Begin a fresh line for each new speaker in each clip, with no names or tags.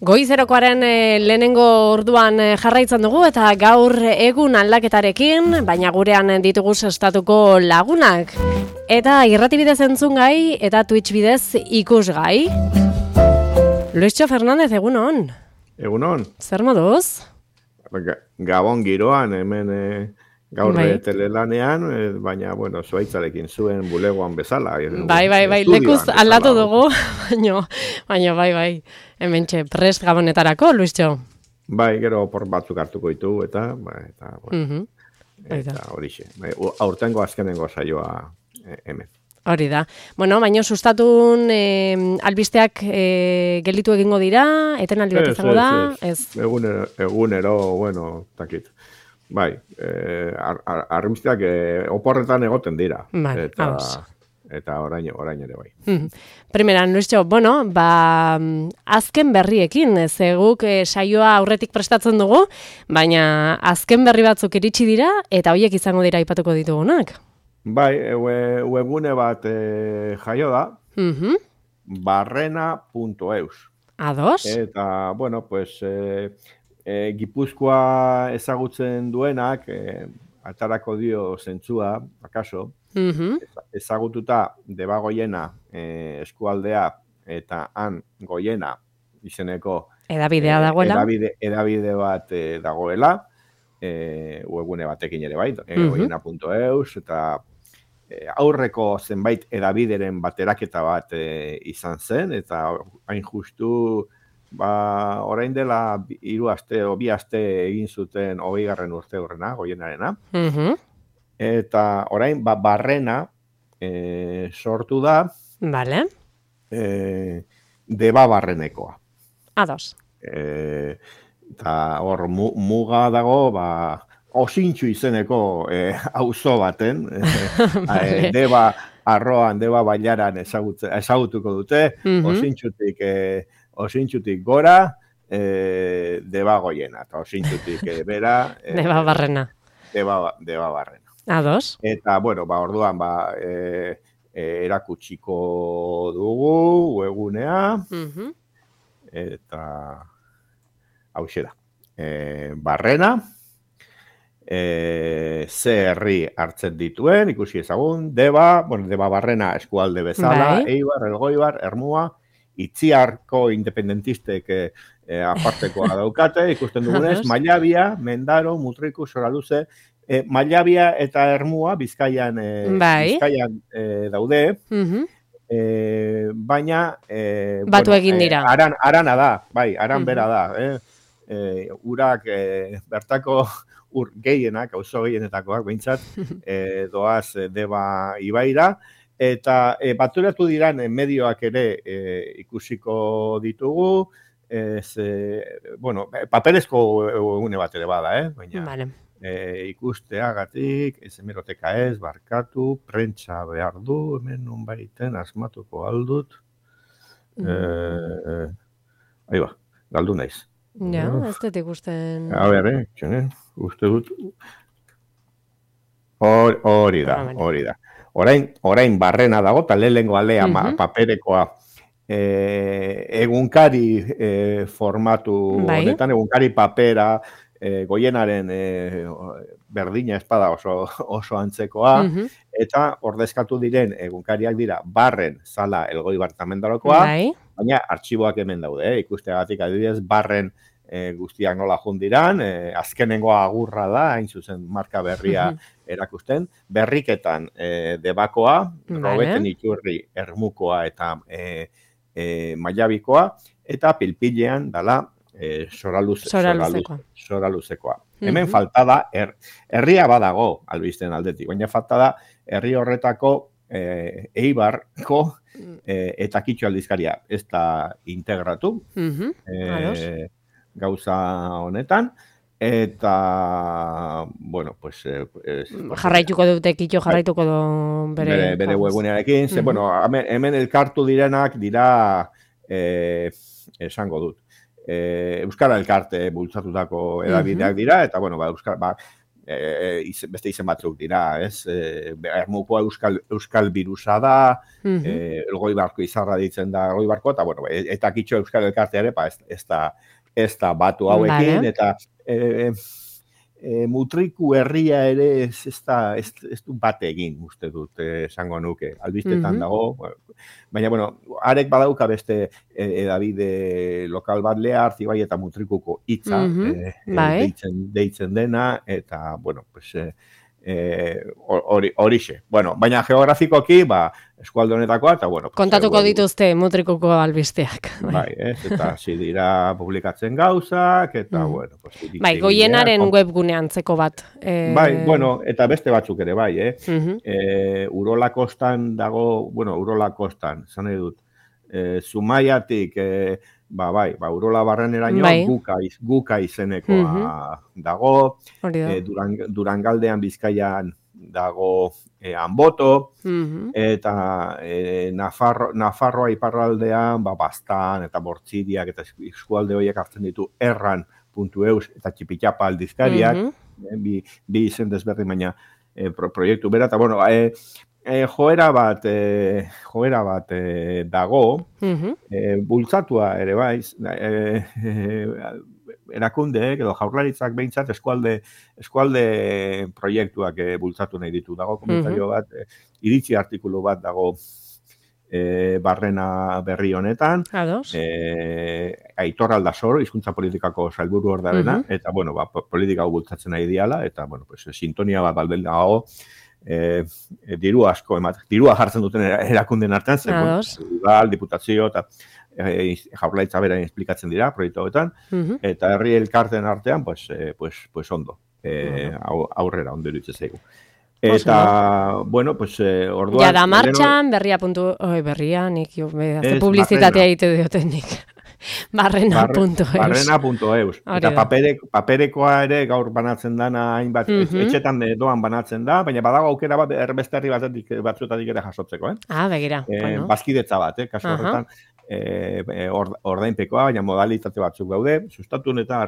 Goizerokoaren lehenengo orduan jarraitzen dugu eta gaur egun aldaketarekin, baina gurean ditugu sestatuko lagunak. Eta irrati bidez entzungai eta Twitch bidez ikusgai. Luischo Fernández, egunon.
Egunon.
Zer moduz?
Gabon giroan, hemen gaur telelanean, baina, bueno, zuaitzarekin zuen bulegoan bezala.
Bai, lekuz aldatu dugu, baina, bai. Hementxe, prest gabonetarako, Luischo?
Bai, gero por batzuk hartuko ditugu, eta bueno, eta horixe. Aurtengo azkenengo saioa hemen.
Hori da. Bueno, baina sustatun albisteak gelditu egingo dira, etenaldi bat izango da?
Ez. Egunero, bueno, takit. Bai, argazkiak oporretan egoten dira.
Bai,
eta orain ere bai.
Primeran, Luischo, bueno, azken berriekin, guk saioa aurretik prestatzen dugu, baina azken berri batzuk iritsi dira, eta horiek izango dira aipatuko ditugunak.
Bai, webgune bat jaio da, barrena.eus.
Ados?
Eta, bueno, pues, Gipuzkoa ezagutzen duenak, atarako dio zentzua, akaso, ezagututa Debagoiena eskualdea eta han Goiena izeneko
edabidea dagoela.
Edabide bat dagoela, webgune batekin ere bai, goiena.eus, eta aurreko zenbait edabideren bateraketa bat izan zen, eta hain justu orain dela 3 aste o 2 aste egin zuten 20. urte horrena, Goienarena. Eta orain barrena sortu da.
Vale.
Deba barrenekoa.
Ados.
Eta hor muga dago, Osintxu izeneko auzo baten. Deba arroan, Deba bailaran ezagutuko dute. Osintxutik gora, Deba Goiena, eta Osintxutik bera...
Deba barrena.
Deba barrena.
Ados.
Eta, bueno, orduan, erakutsiko dugu, webgunea, eta hauxe da. Barrena, ze herri hartzen dituen, ikusi ezagun, Deba barrena eskualde bezala, Eibar, Elgoibar, Ermua, Itziarko independentistek apartekoa daukate, ikusten dugunez, Mallabia, Mendaro, Mutriku, Soraluze, Mallabia eta Ermua Bizkaian daude, baina
batu egin dira.
Arana da, aran bera da. Urak bertako gehienak, auzo gehienetakoak behintzat, doaz Deba ibaira, eta baturatu diran medioak ere ikusiko ditugu, paperezko egune bat ere bada, baina ikusteagatik, hemeroteka ez, barkatu, prentsa behar du, hemen non baiten asmatuko aldut. Galdu naiz.
Ja, ez dut ikusten...
A ber, uste dut... Hori da. Orain barrena dago, eta lehengo alea paperekoa egunkari formatu honetan, egunkari papera, Goienaren berdina espada oso antzekoa, eta ordezkatu diren egunkariak dira Barren, Zala, Elgoibar eta Mendarokoa, baina artxiboak hemen daude, ikusteagatik adibidez, Barren guztiak nola jundiran, azkenengo agurra da, hain zuzen marka berria erakusten, berriketan Debakoa, Robeten Iturri Ermukoa eta Mallabikoa, eta pilpilean dala Soraluzekoa. Hemen falta da, herria badago albisten aldetik, baina falta da herri horretako Eibarko eta Kitxo aldizkaria ez da integratu gauza honetan, eta, bueno, pues...
jarraituko dute, Kitxo jarraituko du
bere webgunearekin, bueno, hemen elkartu direnak dira, esango dut, Euskara Elkarte bultzatutako edabideak dira, eta, bueno, beste izen batzuk dira, ez? Ermukoa euskal virusa da, Elgoibarko izarra ditzen da Elgoibarko, eta bueno, eta kitxo euskal elkartea ere, ez da batu hauekin, eta Mutriku herria ere ez du bat egin, uste dut, esango nuke. Albistetan dago, baina, bueno, arek badauka beste edabide lokal bat Lehartzi bai eta Mutrikuko hitza deitzen dena, eta, bueno, pues, horixe. Bueno, baina geografikoki, eskualde honetakoa, eta, bueno...
Kontatuko dituzte Mutrikuko albisteak.
Bai, eta hasi dira publikatzen gauzak, eta, bueno...
Bai, Goienaren webgunean zeko bat.
Bai, bueno, eta beste batzuk ere, bai, Urola kostan dago, bueno, Urola kostan, zan edut, Zumaiatik, Urola barreneraino guka izenekoa dago, Durangaldean Bizkaian dago Anboto, eta Nafarroa iparraldean Bastan eta Bortziriak eta eskualde horiek hartzen ditu erran.eus eta Txipitxapa aldizkariak, bi izen desberdin baina proiektu bera, eta bueno, joera bat dago, bultzatua ere baiz, erakundeek edo jaurlaritzak behintzat eskualde proiektuak bultzatu nahi ditu. Dago komentario bat, iritzi artikulu bat dago barrena berri honetan, Aitor Aldasoro, hizkuntza politikako sailburu ordarena, eta bueno, politika hau bultzatzen nahi diala, eta bueno, sintonia bat baldel dago, dirua jartzen duten erakunden artean, udal, diputazio eta jaurlaritza bera esplikatzen dira proiektu hauetan, eta herri elkarten artean, pues ondo, aurrera ondo iruditzen zaigu. Eta, bueno, pues orduan...
Ja da martxan, berria, nik publizitatea egite dioten nik. Barrena.eus.
Barrena.eus. Eta paperekoa ere gaur banatzen dana hainbat, etxetan doan banatzen da, baina badago aukera bat beste herri batzuetatik ere jasotzeko,
begira.
Bazkidetza bat, kasu horretan, ordainpekoa, baina modalitate batzuk daude, sustatu eta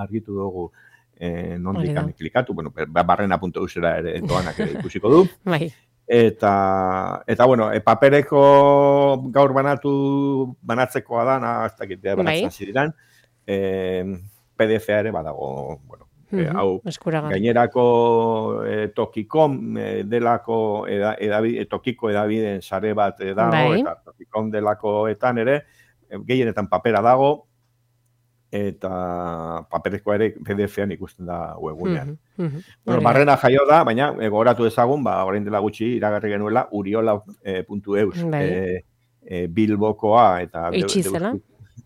argitu dugu nondik klikatu, bueno, barrena.eusera ere doanak ere ikusiko du.
Bai.
Eta bueno, papereko gaur banatzekoa da, ez dakit, banatzen ziren, PDF-a ere badago, bueno, hau gainerako Tokikom delako tokiko edabideen sare bat dago, eta Tokikom delakoetan ere, gehienetan papera dago, eta paperezkoa ere PDF-an ikusten da webgunean. Bueno, barrena jaio da, baina gogoratu ezagun, orain dela gutxi iragarri genuela uriola.eus Bilbokoa eta
itxizela.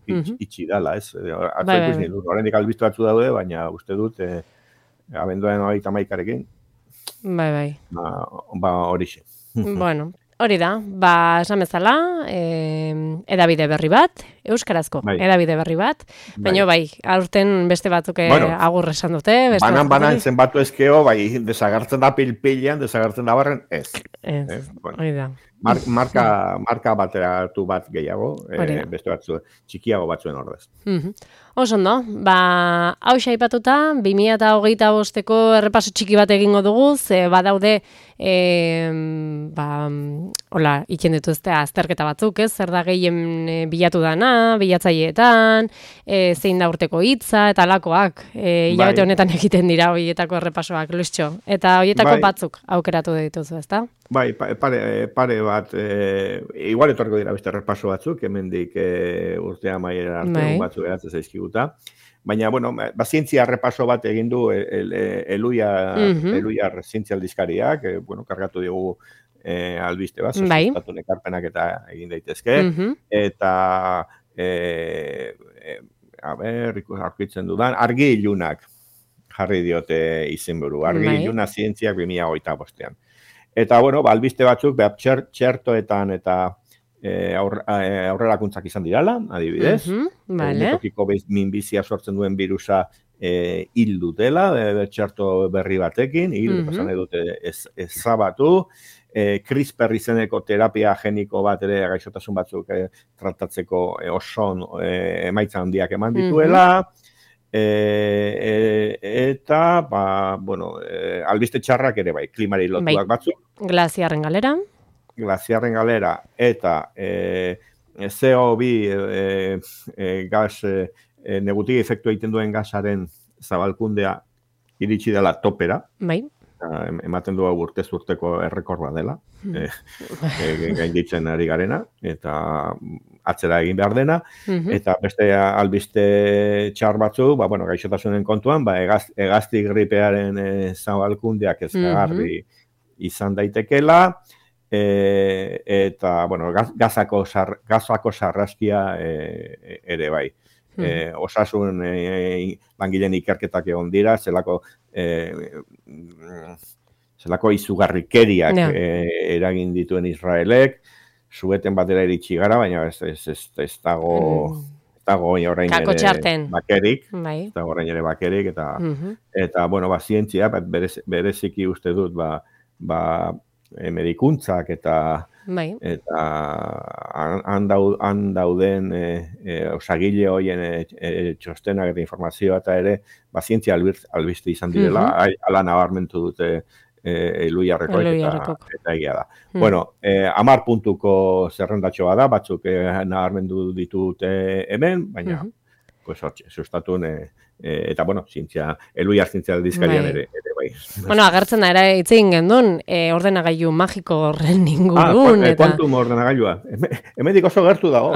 Itxi dala, ez? Horrendik albiztu batzu daude, baina uste dut abenduaren 31arekin.
Bai.
Horixe.
Bueno, hori da, esan bezala, edabide berri bat, euskarazko edabide berri bat, baina aurten beste batzuk agur esan dute.
Banan zenbatu ezkeo, desagartzen da pilpilean, desagartzen da barren, ez.
Hori da.
Marka bateratu bat gehiago, beste batzu, txikiago batzuen ordez.
Oso ondo, hau aipatuta 2025ko errepaso txiki bat egingo dugu, badaude, hola, itzen ditu azterketa batzuk, zer da gehien bilatu dana, bilatzaileetan, zein da urteko hitza, eta alakoak, hilabete honetan egiten dira horietako errepasoak, Luistxo, eta horietako batzuk aukeratu dituzu, ezta?
Bai, pare bat, igual etorko dira beste errepaso batzuk, hemendik urtea maiera arte batzuk eratzen zaizkiguta. Baina, bueno, zientzia errepaso bat egin du Eluiar zientzia aldizkariak, kargatu dugu albiste bat, sustatu ekarpenak eta egin daitezke, eta, aurkitzen dudan, argi ilunak jarri diote izenburu, argi iluna zientziak 2025. Eta, bueno, albiste batzuk, txertoetan eta aurrerakuntzak izan dirala, adibidez. Tokiko minbizia sortzen duen virusa hil dutela, txerto berri batekin, pasan edute ezabatu. CRISPR izeneko terapia geniko bat ere gaixotasun batzuk tratatzeko oso emaitza handiak eman dituela. Eta, albiste txarrak ere bai, klimari lotuak batzuk.
Glaziarren galera.
Glaziarren galera, eta CO2 gas, negutigi efektua egiten duen gasaren zabalkundea iritsi dela topera.
Bai.
Ematen du urtez urteko errekorda dela, gainditzen ari garena, eta atzera egin behar dena, eta beste albiste txar batzu, gaixotasunen kontuan, hegazti gripearen zabalkundeak ezkagarri izan daitekela, eta, gazako sarraskia ere bai. Osasun langileen ikerketak egon dira, zelako izugarrikeriak eragin dituen Israelek, zueten batera iritsi gara, baina ez dago orain ere bakerik, eta, zientzia, bereziki uste dut, medikuntzak eta han dauden osagile hoien txostenak eta informazioa eta ere, zientzia albiste izan direla, ala nabarmentu dute Eluiarreko eta egia da. 10 puntuko zerrendatxoa da, batzuk nabarmendu ditute hemen, baina sustatun eta, zientzia, Eluiar zientzia aldizkarian ere bai.
Agertzen da, hitz egin gendun, ordenagailu magiko horren ingurun.
Quantum ordenagailua. Hemendik oso gertu dago.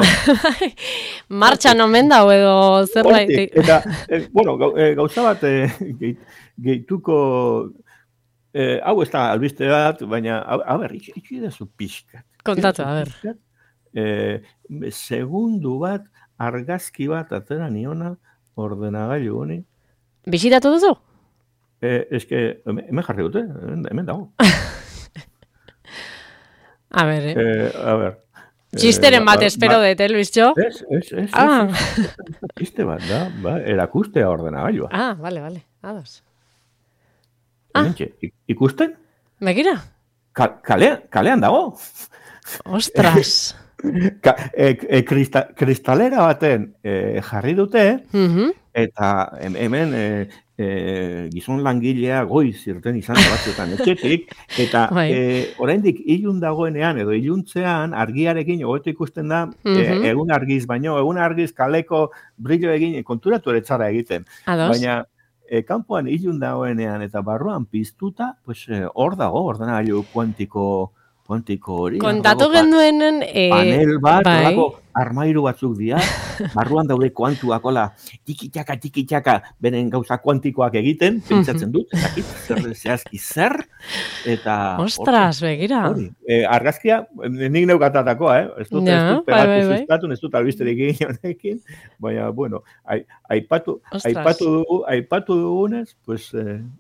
Martxan omen dago edo zerbait.
Eta, gauza bat gehituko, hau ez da albiste bat, baina, itxi da zu pixkat.
Kontatu,
segundu bat, argazki bat atera niona ordenagailu honi.
Bisitatu duzu?
Hemen jarri dute, hemen dago.
A ver. Txisteren bat espero dut, Luisjo?
Ez. Txiste bat da, erakustea ordenagailua.
Vale, ados.
Ikusten?
Begira?
Kalean dago.
Ostras.
Kristalera baten jarri dute, eta hemen gizon langilea goiz irten izan batzuetan etxetik, eta oraindik ilun dagoenean edo iluntzean argiarekin hobeto ikusten da egun argiz, baino egun argiz kaleko brillo egin konturatu ere txara egiten. Baina kanpoan ilun dagoenean eta barruan piztuta, hor dago ordenagailu kuantiko hori.
Kontatu genduenen...
Panel bat, armairu batzuk dira, barruan daude kuantuak, tiki-taka, beren gauza kuantikoak egiten, pentsatzen dut, zehazki zer, eta...
Ostras, begira.
Argazkia, nik neukatatakoa, ez dut pegatu sustatun, ez dut albisterik egin, baina, aipatu dugunez,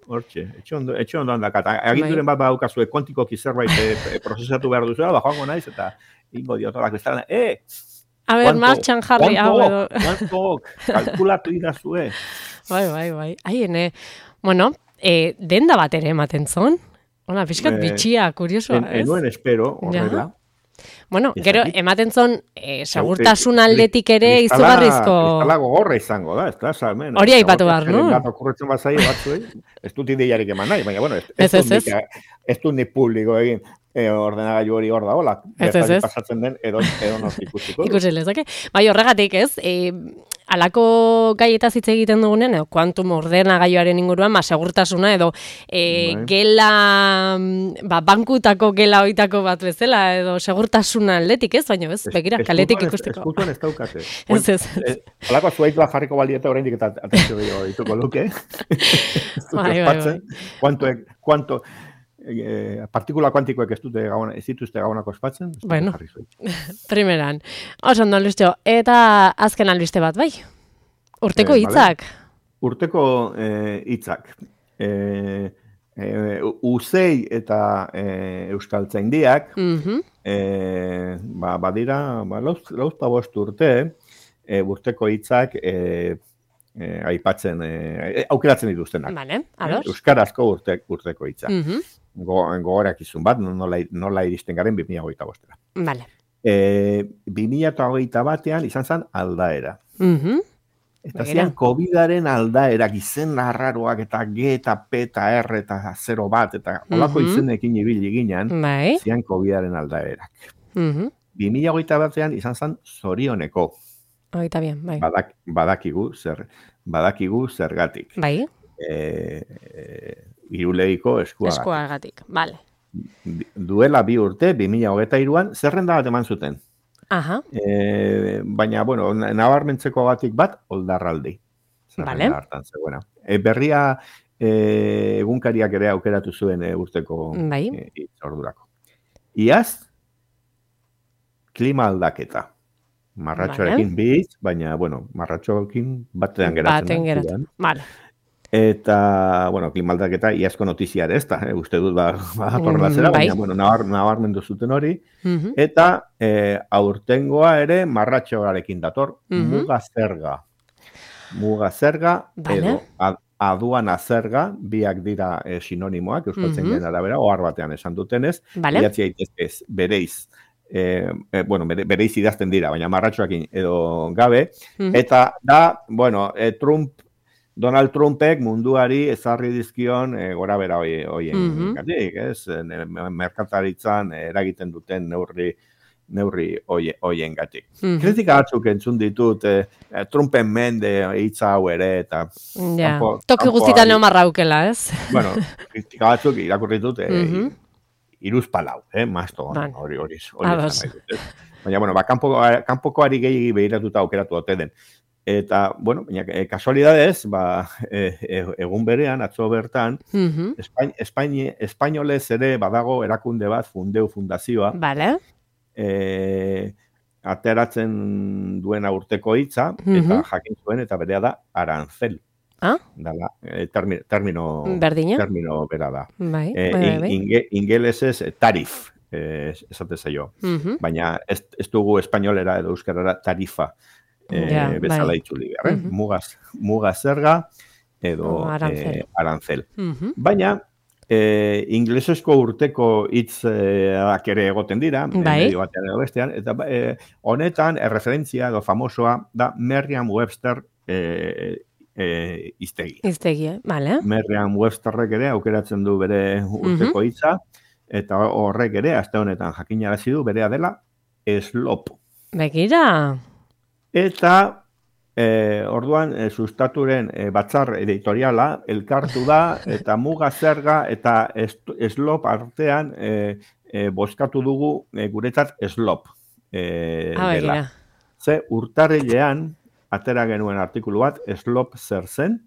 hortxe, etxe ondo handakat. Aginduren bat baukazue kuantikoki zerbait prozesatu behar duzuela, joango naiz, eta ingo diotolak bezala,
a ber, martxan jarri, hau edo.
Kuantok, kalkulatu idazue.
Bai. Haien, denda bat ere ematen zon. Piskat bitxia, kuriosua, ez?
Enuen espero, horrela.
Gero, ematen zon, segurtasun aldetik ere izugarrizko...
Kristala gogorra izango da, ez da, salmen.
Hori aipatu behar, no?
Okurretzen bat zaio batzuei, ez dut ideiarik eman nahi, baina, ez dut nik publiko egin. Ordenagailu hori hor da, hola, bertari pasatzen den edo nortik ikusiko.
Ikusi lezake. Bai, horregatik ez, alako gaietaz hitz egiten dugunen, kuantum ordenagailuaren inguruan, segurtasuna edo gela, bankutako gela hoitako bat bezala, edo segurtasuna aldetik ez, baina ez, begira, kaletik ikusteko.
Eskultuan ez daukate.
Ez.
Alako zuaitua jarriko balieta oraindik eta atentzio dituko luke.
Bai.
Kuanto partikula kuantikoek ez dituzte gabonako ospatzen.
Bueno, primeran. Oso ondo, Luisjo. Eta azken albiste bat, bai? Urteko hitzak.
Urteko hitzak. Uzei eta euskaltzaindiak, badira, lauzta bost urte, urteko hitzak aipatzen, aukeratzen dituztenak.
Vale, ados.
Euskarazko urteko hitzak. Gogorak izun bat, nola iristen garen 2025.
Vale.
2021 izan zen aldaera. Eta zian COVID-aren aldaerak izen arraroak eta G eta P eta R eta 0 bat eta olako izenekin ibili ginen, zian COVID-aren aldaerak. 2021an izan zen zorioneko.
Oita bien, bai.
Badakigu zergatik.
Bai.
Irulegiko eskuagatik.
Eskuagatik, bale.
Duela 2 urte, 2023an, zerrenda bat eman zuten.
Aha.
Baina, bueno, nabarmentzeko batik bat, oldarraldi.
Vale.
Berria egunkariak ere aukeratu zuen urteko ordurako. Iaz, klima aldaketa. Marratxoarekin bitz, baina, bueno, marratxoarekin batean geratzen.
Vale.
Eta, bueno, klima aldaketa iazko notiziare ez da, uste dut badatorrela zera, baina, bueno, nabarmendu zuten hori. Eta aurtengoa ere marratxoarekin dator, muga zerga. Muga zerga, edo aduana zerga, biak dira sinonimoak, euskaltzen gen arabera, ohar batean esan dutenez, idatzi daitezkez bereiz, bereiz idazten dira, baina marratxoarekin edo gabe, eta da, bueno, Donald Trumpek munduari ezarri dizkion gora bera hoien gatik, ez? Merkataritzan eragiten duten neurri hoien gatik. Kritika batzuk entzun ditut Trumpen mende hitza hau ere, eta...
Toki guztitan marraukela, ez?
Bueno, kritika batzuk irakurri dut iruzpalau, mazto hori izan nahi dut. Baina, bueno, kanpokoari gehiagi behiratuta aukeratu dute den. Eta, bueno, kasualidadez, egun berean, atzo bertan, espainolez ere badago erakunde bat, Fundazioa, ateratzen duena urteko hitza, eta jakin zuen, eta berea da, arancel. Termino bera da. Ingelesez, tarif, esate zaio. Baina ez dugu espainolera edo euskarara tarifa. Bezala itzuli behar, muga zerga edo arancel. Baina, inglesezko urteko hitzak ere egoten dira, medio batean edo bestean, eta honetan erreferentzia edo famosoa da Merriam-Webster hiztegi.
Bale.
Merriam-Websterrek ere aukeratzen du bere urteko hitza, eta horrek ere, aste honetan jakinarazi du, berea dela slop.
Begira.
Eta, orduan, sustaturen batzar editoriala elkartu da, eta muga zerga eta slop artean bozkatu dugu guretzat slop dela. Ze urtarrilean, atera genuen artikulu bat, slop zer zen,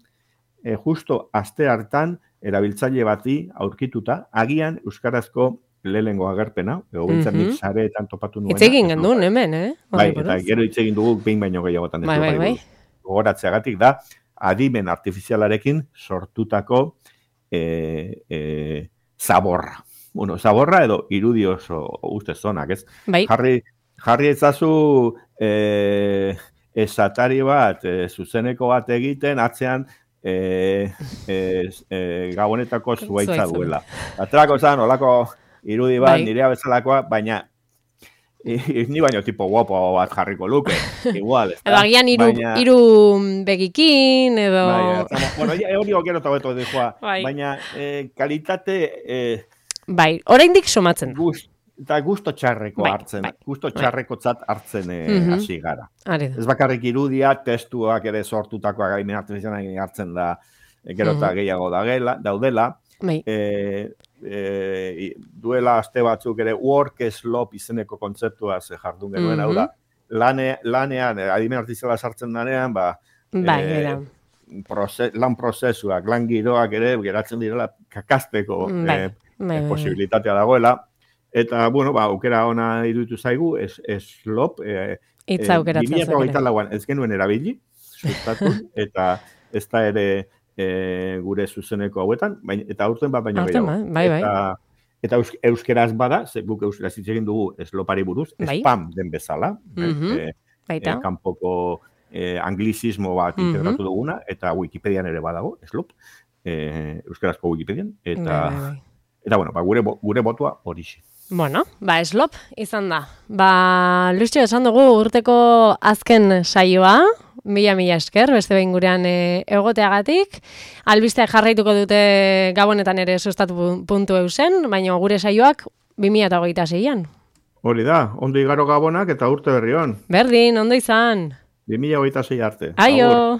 justo aste hartan erabiltzaile bati aurkituta, agian euskarazko lehengo agerpena, egobiltzen nik sareetan topatu nuen.
Itzegin gendun, hemen,
Bai, eta gero itzegin dugu behin baino gehiagotan. Gogoratzeagatik da, adimen artifizialarekin sortutako zaborra. Bueno, zaborra edo irudi oso ustez zonak, ez? Jarri ezazu esatari bat, zuzeneko bat egiten, atzean gabonetako zuaitza duela. Aterako zan, olako irudi bat, nirea bezalakoa, baina ni baino tipo guapo bat jarriko luke, igual.
Edo agian iru begikin, edo...
Bueno, hori gero eta beto dihua, baina kalitate...
Bai, oraindik somatzen da.
Eta gusto txarreko hartzen, gusto txarrekotzat hartzen hasi gara. Ez bakarrik irudia, testuak ere sortutakoa gaimen artifizialak hartzen da, gero eta gehiago daudela. Duela aste batzuk ere work slop izeneko kontzeptua jardun genuen, hau da, lanean, adimen artifiziala sartzen danean, lan prozesuak, lan giroak ere geratzen direla kakazteko posibilitatea dagoela, eta, bueno, aukera ona iruditu zaigu, slop,
itza aukeratzen zaigu.
2024an ez genuen erabili, sustatu, eta ez da ere gure zuzeneko hauetan, eta aurten bat baino gehiago. Eta euskeraz bada, guk euskeraz hitz egin dugu slopari buruz, spam den bezala, kanpoko anglizismo bat integratu duguna, eta Wikipedian ere badago, slop, euskerazko Wikipedian, eta bueno, gure botua horixe.
Bueno, slop izan da. Luizio, esan dugu urteko azken saioa, Mila esker, beste behin gurean egoteagatik. Albisteak jarraituko dute Gabonetan ere sustatu.eusen, baina gure saioak 2026an.
Hori da, ondo igaro Gabonak eta urte berri on.
Berdin, ondo izan.
2026 arte.
Aio!